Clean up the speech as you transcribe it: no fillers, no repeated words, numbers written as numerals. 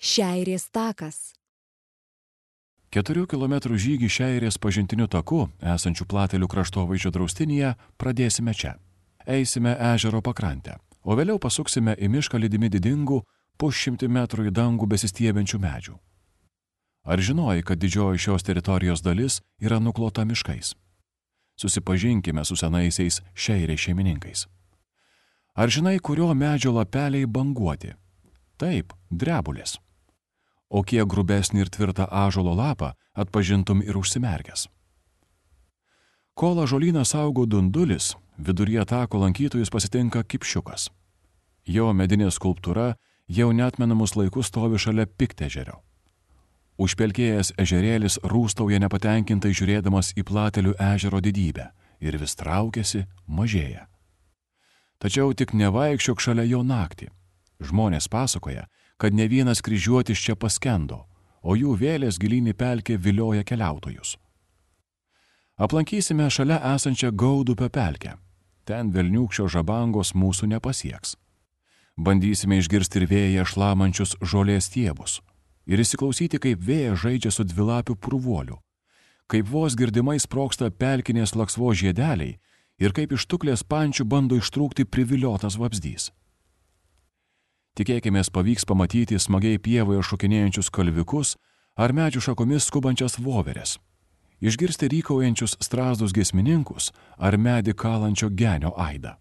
Šeirės takas. 4 km žygį Šeirės pažintiniu taku, esančiu Platelių kraštovaizdžio draustinyje, pradėsime čia. Eisime ežero pakrantę, o vėliau pasuksime į mišką lydimi didingų, po 100 metrų į dangų besistiebiančių medžių. Ar žinojai, kad didžioji šios teritorijos dalis yra nuklota miškais? Susipažinkime su senaisiais Šeirės šeimininkais. Ar žinai, kurio medžio lapeliai banguoti? Taip, drebulės. O kiek grubesnį ir tvirtą ąžuolo lapą atpažintum ir užsimerkęs. Kol ąžuolyną saugo dundulis, viduryje tako lankytojus pasitinka kipšiukas. Jo medinė skulptūra jau neatmenamus laikus stovi šalia Piktežerio. Užpelkėjęs ežerėlis rūstauja nepatenkintai žiūrėdamas į Platelių ežero didybę ir vis traukiasi, mažėja. Tačiau tik nevaikščiok šalia jo naktį. Žmonės pasakoja, kad ne vienas kryžiuotis čia paskendo, o jų vėlės gilyn į pelkę vilioja keliautojus. Aplankysime šalia esančią Gaudupio pelkę. Ten velniūkščio žabangos mūsų nepasieks. Bandysime išgirsti ir vėją šlamančius žolės stiebus ir įsiklausyti, kaip vėjas žaidžia su dvilapiu purvuoliu, kaip vos girdimai sproksta pelkinės laksvos žiedeliai ir kaip iš tuklės pančių bando ištrūkti priviliotas vabzdys. Tikėkimės pavyks pamatyti smagiai pievoje šokinėjančius kalvikus ar medžių šakomis skubančias voveres, išgirsti rykaujančius strazdus giesmininkus ar medį kalančio genio aidą.